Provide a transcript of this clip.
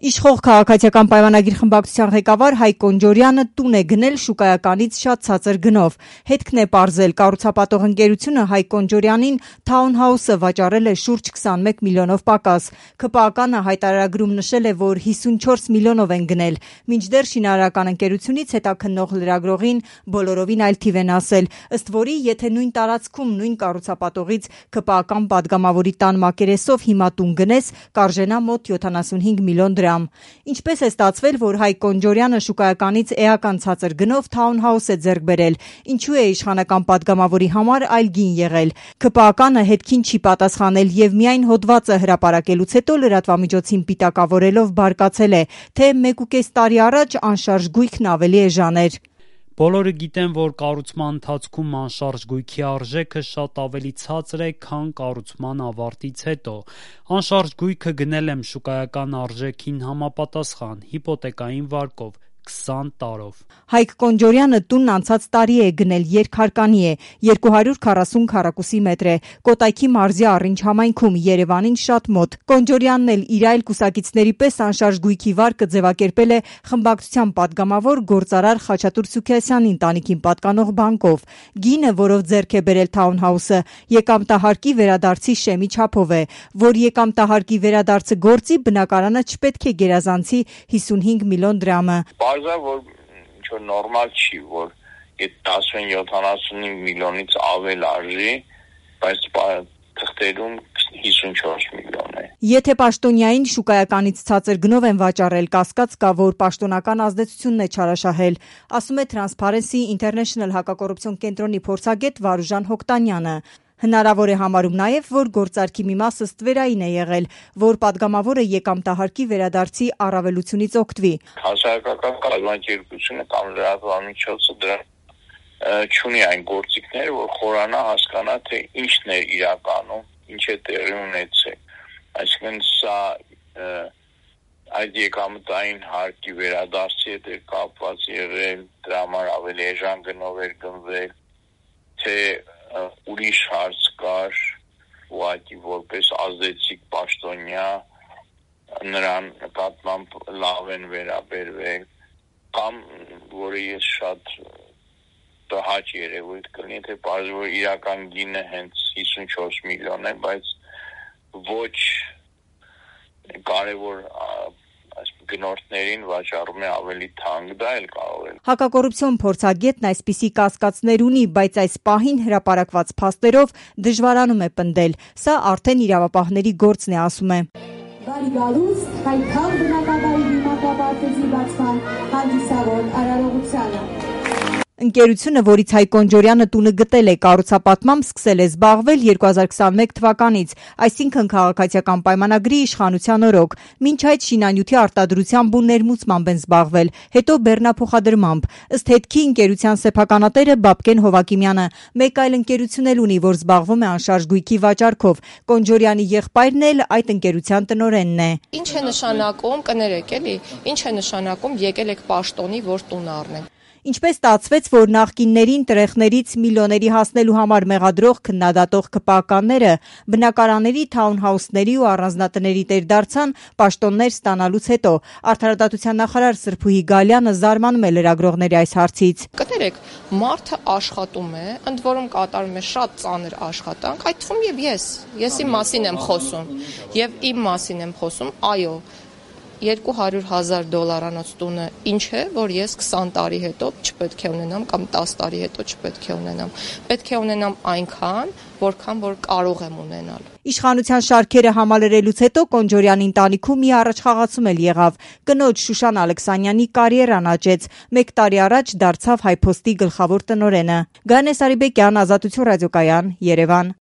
Իշխող քաղաքացիական պայմանագիր խմբակցության ղեկավար Հայկ Կոնջորյանը տուն է գնել շուկայականից շատ ցածր գնով։ Հետքն է պարզել, կառուցապատող ընկերությունը Հայկ Կոնջորյանին թաունհաուսը վաճառել է շուրջ 21 միլիոնով պակաս։ ՔՊԱ-ն հայտարարագրում նշել է, որ 54 միլիոնով են գնել, մինչդեռ շինարարական ընկերությունից հետաքննող լրագրողին բոլորովին այլ թիվ են ասել, ըստ որի, եթե նույն տարածքում նույն կառուցապատողից ՔՊԱ-ական падգամավորի տան մակերեսով հիմա տուն գնես, կարժենա մոտ 75 միլիոն դրամ։ Ինչպես է ստացվել, որ Հայկ Կոնջորյանը շուկայականից էական ցածր գնով թաունհաուս է ձեռք բերել, ինչու է իշխանական падգամավորի համար այլ գին եղել։ ՔՊԱ-ն հետքին չի պատասխանել եւ միայն հոդվածը հրապարակելուց հետո լրատվամիջոցին պիտակավորելով բարկացել է, թե 1.5 տարի առաջ անշարժ գույքն ավելի էժան էր։ Բոլորը գիտեն, որ կառուցման ընթացքում անշարժ գույքի արժեքը շատ ավելի ցածր է, քան կառուցման ավարտից հետո։ Անշարժ գույքը գնել եմ շուկայական արժեքին համապատասխան, հիպոթեկային վարկով, 20 տարով։ Հայկ Կոնջորյանը տունն անցած տարի է գնել, երկհարկանի է, 240 քառակուսի մետր է, Կոտայքի մարզի Առինչ համայնքում, Երևանին շատ մոտ։ Կոնջորյանն էլ իր այլ կուսակիցների պես անշարժ գույքի վարկը ձևակերպել է խմբակցության падգամավոր գործարար Խաչատուր Սուքիասյանի ընտանիքին պատկանող բանկով։ Գինը, որով ձեռք է բերել թաունհաուսը, եկամտահարկի վերադարձի շեմի չափով է, որ եկամտահարկի վերադարձը գործի, բնակարանը չպետք է գերազանցի 55 միլիոն դրամը։ Բարձր որ ինչ-որ նորմալ չի, որ այդ 10-75 միլիոնից ավել արժի, բայց թղթերում 54 միլիոն է։ Եթե պաշտոնյային շուկայականից ցածր գնով են վաճառել, կասկած կա, որ պաշտոնական ազդեցությունն է չարաշահել, ասում է Transparency International հակակոռուպցիոն կենտրոնի փորձագետ Վարուժան Հոկտանյանը։ Հնարավոր է համարում նաև, որ գործարքի մի մասը ստվերային է եղել, որ падգամավորը եկամտահարկի վերադարձի առավելությունից օգտվի։ Հասարակական կազմակերպությունը կամ լրատվամիջոցը դրա չունի այն գործիքները, որ խորանա հասկանա, թե ինչն է իրականում, ինչ է տեղի ունեցել։ Այսինքն սա այդ եկամտային հարկի վերադարձի հետ է կապված եղել, դրա համար ավելի էժան գնով էր գնվել, թե ուրիշ հարց կար, ուղղակի որպես ազդեցիկ պաշտոնյա նրան նկատմամբ լավ են վերաբերվել, կամ որը ես շատ տհաճ երևույթ կլինի, թե պարզվի որ իրական գինը հենց 54 միլիոն է, բայց ոչ կարևոր գնորդներին վաճառում է ավելի թանկ, դա էլ կարող է։ Հակակոռուպցիոն փորձագետն այսպիսի կասկածներ ունի, բայց այս պահին հրապարակված փաստերով դժվարանում է պնդել։ Սա արդեն իրավապահների գործն է, ասում է։ Բարի գալուստ, հայքան բնակավայրի դիմակապարտեզի բացման հանդիսավոր արարողությանը։ Ընկերությունը, որից Հայկ Կոնջորյանը տունը գտել է, կառուցապատմամբ սկսել է զբաղվել 2021 թվականից, այսինքն քաղաքացիական պայմանագրի իշխանության օրոք։ Մինչ այդ շինանյութի արտադրությամբ ու ներմուծմամբ են զբաղվել, հետո բեռնափոխադրմամբ։ Ըստ հետքի ընկերության սեփականատերը Բաբկեն Հովակիմյանը մեկ այլ ընկերություն էլ ունի, որ զբաղվում է անշարժ գույքի վաճառքով։ Կոնջորյանի եղբայրն էլ այդ ընկերության տնօրենն է։ Ինչ է նշանակում, կներեք էլի, ինչ է նշանակում եկել եք պաշտոնի, որ տուն առնեն։ Ինչպես ստացվեց, որ նախկիններին տրեխներից միլիոների հասնելու համար մեղադրող քննադատող ԿՊԱ-ականները բնակարանների, թաունհաուսների ու առանձնատների տեր դարձան պաշտոններ ստանալուց հետո։ Արդարադատության նախարար Սրփուհի Գալյանը զարմանում է լրագրողների այս հարցից։ Կներեք, մարդը աշխատում է, ընդ որում կատարում է շատ ծանր աշխատանք, այդ թվում եւ եսի մասին եմ խոսում, եւ իմ մասին եմ խոսում, այո, $200,000 տունը ինչ է, որ ես 20 տարի հետո չպետք է ունենամ կամ 10 տարի հետո չպետք է ունենամ։ Պետք է ունենամ այնքան, որքան որ կարող եմ ունենալ։ Իշխանության շարքերը համալրելուց հետո Կոնջորյանի ընտանիքում մի առաջխաղացում էլ եղավ։ Կնոջ Շուշան Ալեքսանյանի կարիերան աճեց։ 1 տարի առաջ դարձավ Հայփոստի գլխավոր տնօրենը։ Գայանե Սարիբեկյան, Ազատություն ռադիոկայան, Երևան։